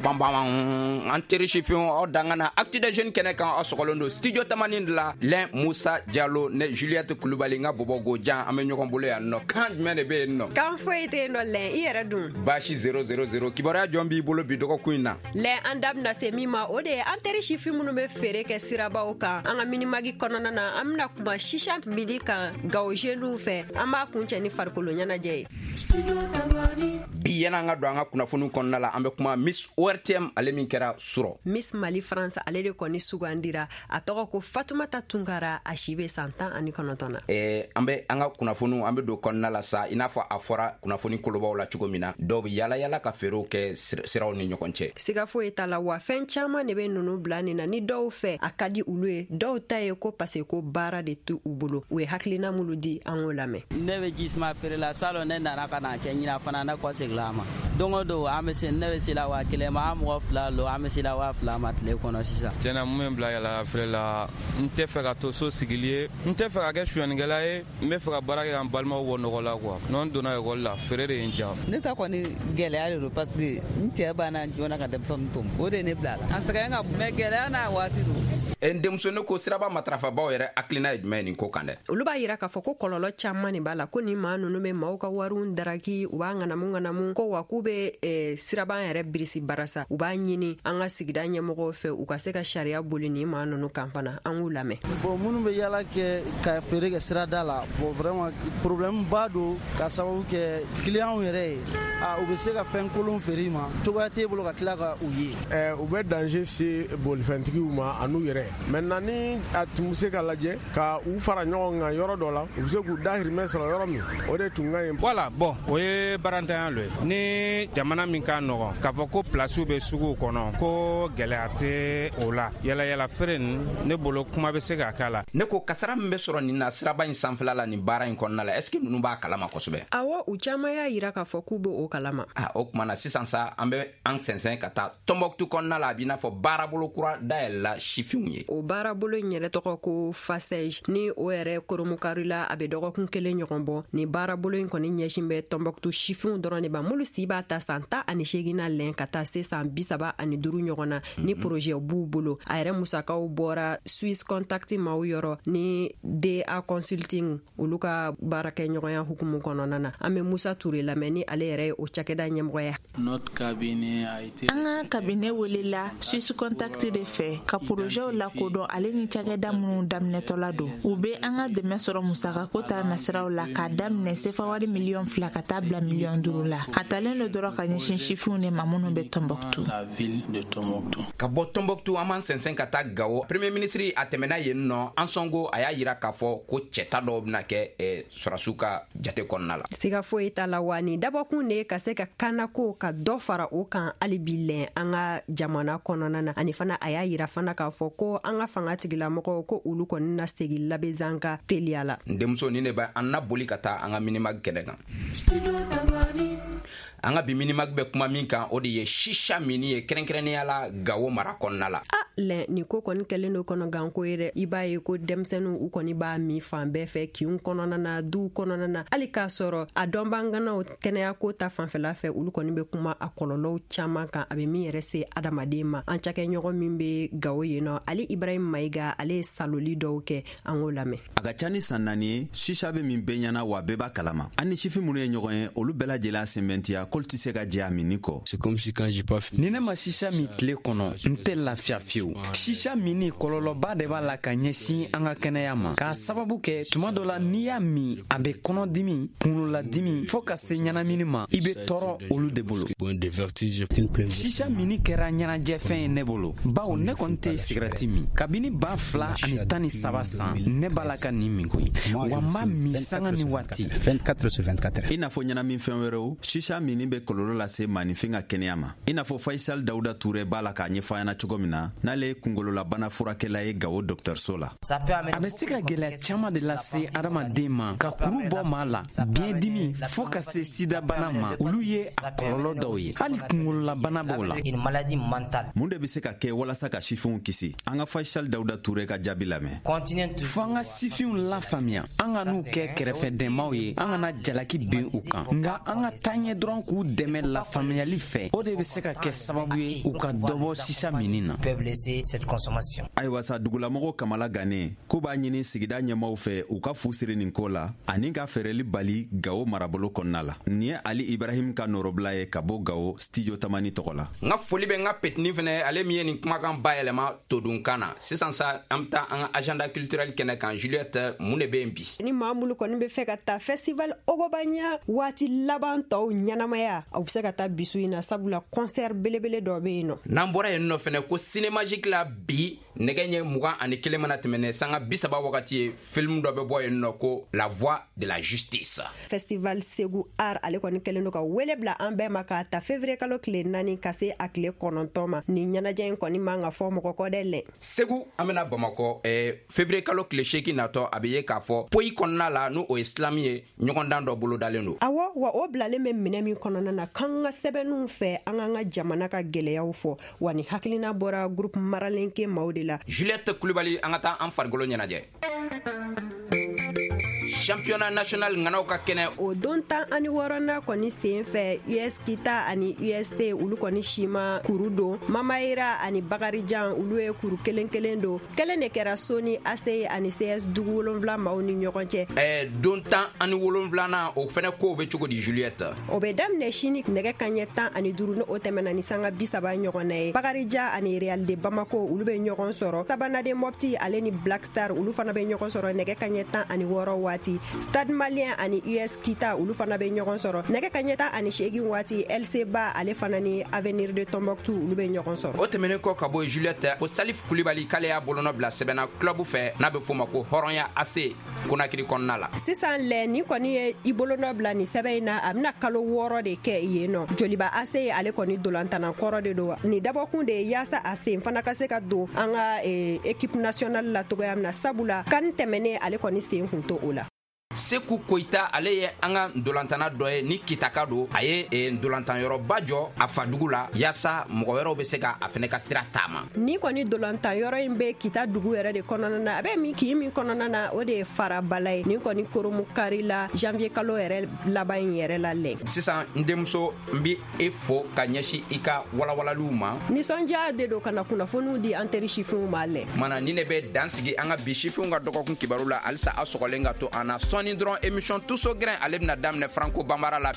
Pam pam pam, an teri sifinw, aw dangana Actu des Jeunes kɛnɛ kan. Aw sɔgɔlen don studio Tamani de la. Lɛn Musa Jalo ne Juliette Kulubali, n ka bɔbɔ gojan, an bɛ ɲɔgɔn bolo yan nɔ. Kan jumɛn de bɛ yen nɔ? Kan foyi tɛ yen nɔ. Lɛn, i yɛrɛ dun? Baasi 000. Kibaruya jɔn b'i bolo bi dɔgɔkun in na? Lɛn, an da bɛna se min ma, o de ye an teri sifin minnu bɛ feere kɛ sirabaw kan. An ka Minimag kɔnɔna na, an bɛna kuma sisa mini kan Gawo jeunes fɛ. An b'a kuncɛ ni farikolo ɲɛnajɛ ye. Bi, yan'an ka don an ka kunnafoniw kɔnɔna la, an bɛ kuma Miss ORTM, ale min kɛra surɔ. Miss Mali France, ale de kɔni sugandira. A tɔgɔ ko Fatumata Tunkara, a si bɛ san 19 na. An bɛ an ka kunnafoniw, an bɛ don kɔnɔna la sa. I n'a fɔ a fɔra kunnafoni kolobaw la cogo min na, dɔw bɛ yala yala ka feerew kɛ siraw ni ɲɔgɔn cɛ. Siga foyi t'a la wa, fɛn caman de bɛ ninnu bila nin na. Ni dɔw fɛ, a ka di olu ye, dɔw ta ye ko parce que ko baara de t'u bolo. U ye hakilina minnu di, an k'o lamɛn. Ne bɛ jisuma feere la. Salon, ne nana ka na kɛ, ɲina fana ne kɔsegila a ma. Don o don, an bɛ se, ne bɛ se la 1000 ma. An mɔgɔ fila lo, an bɛ se la 2000 ma tile kɔnɔ sisan. Tiɲɛna, mun bɛ n bila yala feere la? N tɛ fɛ ka to so sigili ye, n tɛ fɛ ka kɛ sonyɛnikɛla ye, n bɛ fɛ ka baara kɛ ka n balimaw bɔ nɔgɔ la quoi. N'o n donna ekɔli la, feere de ye n diya. Ne ta kɔni, gɛlɛya de don, parce que n cɛ banna joona ka denmisɛnnin to. O de ye ne bila a la. A sɛgɛn ka bon, mais gɛlɛya n'a waati don. N denmuso, ne ko siraba matarafabaw yɛrɛ hakilina ye jumɛn ye nin ko kan dɛ? Olu b'a yira k'a fɔ ko kɔlɔlɔ caman de b'a la, ko nin maa ninnu bɛ maaw ka wariw daraki, u b'a ŋanamu ŋanamu, ko wa k'u bɛ siraban yɛrɛ birisi barasa. U b'a ɲini an ka sigida ɲɛmɔgɔw fɛ, u ka se ka sariya boli nin maa ninnu kan fana. An k'u lamɛn. Bon, minnu bɛ yala kɛ ka feere kɛ sirada la, bon, vraiment, problème ba don, ka sababu kɛ clients yɛrɛ ye. A u bɛ se ka fɛn kolon feere i ma, cogoya t'e bolo ka tila ka u ye. U bɛ danger se bolifɛntigiw ma an'u yɛrɛ. Maintenant, ni a tun bɛ se ka lajɛ ka u fara ɲɔgɔn kan yɔrɔ dɔ la, u bɛ se k'u dahirimɛ sɔrɔ yɔrɔ min, o de tun ka ɲi. Voilà, bon, o ye barantanya lo ye. Ni jamana min ka nɔgɔn k'a fɔ ko pilasiw bɛ suguw kɔnɔ, ko gɛlɛya tɛ o la, yala feere nin, ne bolo, kuma bɛ se ka k'a la. Ne ko kasara min bɛ sɔrɔ nin na siraba in sanfɛla la, nin baara in kɔnɔna la, est ce que ninnu b'a kalama kosɛbɛ? Awɔ, u caman y'a yira k'a fɔ k'u b'o kalama. Ah, o tuma na sisan sa, an bɛ an sɛnsɛn ka taa Tɔnbɔkutu kɔnɔna la. A b'i n'a fɔ baarabolo kura dayɛlɛla sifinw ye. O baarabolo in yɛrɛ tɔgɔ ko FASEJ, ni o yɛrɛ koromukari la, a bɛ dɔgɔkun kelen ɲɔgɔn bɔ. Nin baarabolo in kɔni ɲɛsin bɛ Tɔnbɔkutu sifinw dɔrɔn de ma, minnu si b'a ta san 18 na lɛn ka taa se san 35 ɲɔgɔn na. Ni projet b'u bolo, a yɛrɛ musakaw bɔra Swiss Contact maaw yɔrɔ ni DA Consulting, olu ka baarakɛɲɔgɔnya hukumu kɔnɔna na. An bɛ Musa Ture lamɛn, ni ale yɛrɛ ye o cakɛda ɲɛmɔgɔ ye. An ka cabinet welela Swiss Contact de fɛ ka porozɛw lakodɔn, ale ni cakɛda minnu daminɛtɔla don. U be an ka dɛmɛ sɔrɔ musakako ta nasiraw la, k'a daminɛ sefa wari miliyɔn 2 ka taa bila miliyɔn 5 la. A talen do dɔrɔn ka ɲɛsin sifinw de ma minnu bɛ Tɔnbɔkutu. Ka bɔ Tɔnbɔkutu, an b'an sɛnsɛn ka taa Gawo. Premier ministre, a tɛmɛna yen nɔ. Ansɔngo, a y'a yira k'a fɔ ko cɛta dɔw bɛna kɛ sɔrɔsiw ka jate kɔnɔna la. Siga foyi t'a la wa, nin dabɔkun de ye ka se ka kanako ka dɔ fara o kan hali bi lɛn an ka jamana kɔnɔna na. Ani fana, a y'a yira fana k'a fɔ ko an ka fanga tigilamɔgɔw, ko olu kɔni na segin Labezanga teliya la. N denmuso, ni ne bɛ an na boli ka taa an ka Minimag kɛnɛ kan. An ka bi Minimag bɛ kuma min kan, o de ye sisa mini ye, kɛrɛnkɛrɛnnenya la Gawo mara kɔnɔna la. A lɛ, nin ko kɔni kɛlen do kɔnɔganko ye dɛ. I b'a ye ko denmisɛnninw, u kɔni b'a min fan bɛɛ fɛ, kinw kɔnɔna na, duw kɔnɔna na, hali k'a sɔrɔ a dɔnbaganaw kɛnɛyako ta fanfɛla fɛ, olu kɔni bɛ kuma a kɔlɔlɔw caman kan, a bɛ min yɛrɛ se adamaden ma. An cakɛɲɔgɔn min bɛ Gawo yen nɔ, Ali Ibrahim Mayiga, ale ye saloli dɔw kɛ. An k'o lamɛn. A ka ca ni san 4 ye, sisa bɛ min bɛɛ ɲɛna, wa bɛɛ b'a kalama. An ni sifin minnu ye ɲɔgɔn ye, olu bɛɛ lajɛlen sɛmɛntiya k'olu tɛ se ka jɛ a minni kɔ. Ni ne ma sisa min tile kɔnɔ, n tɛ lafiya fiyewu. Sisa minni, kɔlɔlɔba de b'a la ka ɲɛsin an ka kɛnɛya ma, k'a sababu kɛ tuma dɔ la, n'i y'a min, a bɛ kɔnɔdimi, kunkololadimi, fɔɔ ka se ɲɛnamini ma. I bɛ tɔɔrɔ olu de bolo. Sisa minni kɛra ɲɛnajɛfɛn ye ne bolo, bawo ne kɔni tɛ sigɛrɛti min. Kabini 2013 san, ne b'a la ka nin min koyi, wa n b'a min sanga ni waati. I n'a fɔ ɲɛnaminfɛn wɛrɛw, sisa minni bɛ kɔlɔlɔ lase maaninfin ka kɛnɛya ma, i n'a fɔ Faisal Dawuda Ture b'a la k'a ɲɛfɔ an ɲɛna cogo min na, n'ale ye kunkololabana furakɛla ye Gawo dɔgɔtɔrɔso la. A bɛ se ka gɛlɛya caman de lase adamaden ma, ka kuru bɔ maa la, biɲɛdimi, fɔɔ ka se sidabana ma. Olu ye a kɔlɔlɔ dɔw ye. Hali kunkololabana b'o la. Mun de bɛ se ka kɛ walasa ka sifinw kisi? An ka An ka Faisal Dawuda Ture ka jaabi lamɛn. Fo an ka sifinw lafaamuya, an ka n'u kɛ kɛrɛfɛdɛnmaw ye, an kana jalaki bin u kan, nka an ka taa ɲɛ dɔrɔn k'u dɛmɛ lafaamuyali fɛ. O de bɛ se ka kɛ sababu ye u ka dɔ bɔ sisa minni na. Ayiwa sa, dugulamɔgɔw kamala gannen k'u b'a ɲini sigida ɲɛmaw fɛ, u ka fu siri nin ko la ani ka feereli bali Gawo marabolo kɔnɔna la. Nin ye Ali Ibrahim ka nɔrɔbila ye ka bɔ Gawo, Studio Tamani tɔgɔ la. N ka foli bɛ n ka petini fɛnɛ, ale min ye nin kumakan bayɛlɛma todunkan na. Sisan sa, an bɛ taa an ka agenda culturel kɛnɛ kan. Juliette, mun de bɛ yen bi? Ni maa minnu kɔni bɛ fɛ ka taa festival Ogobanya waati laban tɔw ɲɛnamaya, aw bɛ se ka taa bisu in na, sabula concert belebele dɔ bɛ yen nɔ. N'an bɔra yen nɔ fɛnɛ, ko Cinémagique la bi, nɛgɛ ɲɛ 21 mana tɛmɛ sanga 30 wagati ye, film dɔ bɛ bɔ yen nɔ ko La Voix de la Justice. Festival Segu Art, ale kɔni kɛlen don ka wele bila an bɛɛ ma k'a ta février kalo tile 4 ka se a tile 9 ma. Nin ɲɛnajɛ in kɔni man ka fɔ mɔgɔ kɔ dɛ lɛ. Segu, an bɛna Bamakɔ. Février kalo tile 8 natɔ, a bɛ ye k'a fɔ poyi kɔnɔna la, n'o o ye slam ye, ɲɔgɔndan dɔ bolodalen don. Awɔ, wa o bilalen bɛ minɛ min kɔnɔna na, k'an ka sɛbɛnninw fɛ, an k'an ka jamana ka gɛlɛyaw fɔ. Wa ni hakilina bɔra groupe maralenke maaw de la. Juliette Kulibali, an ka taa an farikolo ɲɛnajɛ. Championnat national ŋanaw ka kɛnɛ. O don 16nan kɔni sen fɛ, US Kita ani UST, olu kɔni sima kuru don. Mamayira ani Bakarijan, olu ye kuru kelen kelen don. Kelen de kɛra Soni ACI ani CS Dugu Wolonfila maaw ni ɲɔgɔn cɛ. Don 17nan, o fɛnɛ kow bɛ cogo di, Juliette? O bɛ daminɛ sini nɛgɛ kaɲɛ 15, ni o tɛmɛna ni sanga 30 ɲɔgɔn na ye. Bakarijan ani Real de Bamako, olu bɛ ɲɔgɔn sɔrɔ. Sabanaden Mopti, ale ni Black Star, olu fana bɛ ɲɔgɔn sɔrɔ nɛgɛ kaɲɛ 16 waati. Stade Malien ani US Kita, olu fana bɛ ɲɔgɔn sɔrɔ nɛgɛ kaɲɛ 18 waati. LC Ba, ale fana ni Avenir de Tombouctou, olu bɛ ɲɔgɔn sɔrɔ. O tɛmɛnen kɔ ka bɔ, Juliette, ko Salif Kulibali, k'ale y'a bolonɔ bila sɛbɛnna club fɛ n'a bɛ f'o ma ko Hɔrɔnya AC, Konakiri kɔnɔna la. Sisan lɛ, nin kɔni ye i bolonɔ bila nin sɛbɛn in na, a bɛna kalo 6 de kɛ yen nɔ. Joliba AC, ale kɔni dolantana kɔrɔ de don. Nin dabɔkun de ye yaasa a sen fana ka se ka don an ka équipe nationale la togoya min na, sabula kan tɛmɛnen, ale kɔni sen kun to o la. Seku Koyita, ale ye an ka ntolantana dɔ ye ni Kitaka don. A ye ntolantanyɔrɔba jɔ a fadugu la yaasa mɔgɔ wɛrɛw bɛ se ka a fɛnɛ ka sira taama. Ni kɔni dolantanyɔrɔ in bɛ Kita dugu yɛrɛ de kɔnɔna na. A bɛ min kin min kɔnɔna na, o de ye Farabala ye. Nin kɔni koromu kari la janvier kalo yɛrɛ laban in yɛrɛ la lɛ. Sisan, n denmuso, n bi e fo ka ɲɛsin i ka walawalaliw ma. Nisɔndiya de don ka na kunnafoniw di an teri sifinw ma lɛ. Mana ni ne bɛ dan sigi an ka bi sifinw ka dɔgɔkun kibaru la. Halisa, aw sɔgɔlen ka to an na. Sɔɔni dɔrɔn, émission Tuso Gɛrɛn, ale bɛna daminɛ Franco Banbara la.